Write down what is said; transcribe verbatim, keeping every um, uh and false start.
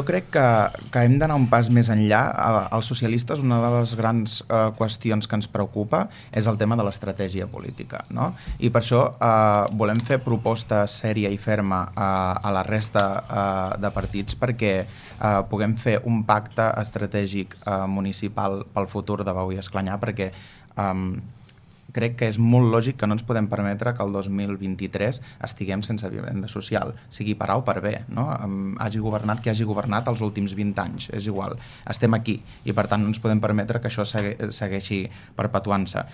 Jo crec que, que hem d'anar un pas més enllà. Els socialistes, una de les grans eh, qüestions que ens preocupa és el tema de l'estratègia política, no? I per això eh, volem fer proposta sèria i ferma eh, a la resta eh, de partits perquè eh, puguem fer un pacte estratègic eh, municipal pel futur de Bau i Esclanyà, perquè eh, crec que és molt lògic que no ens podem permetre que el dos mil vint-i-tres estiguem sense vivenda social, sigui per A o per B, no? Um, hagi governat qui hagi governat els últims vint anys, és igual, estem aquí i per tant no ens podem permetre que això segui, segueixi perpetuant-se.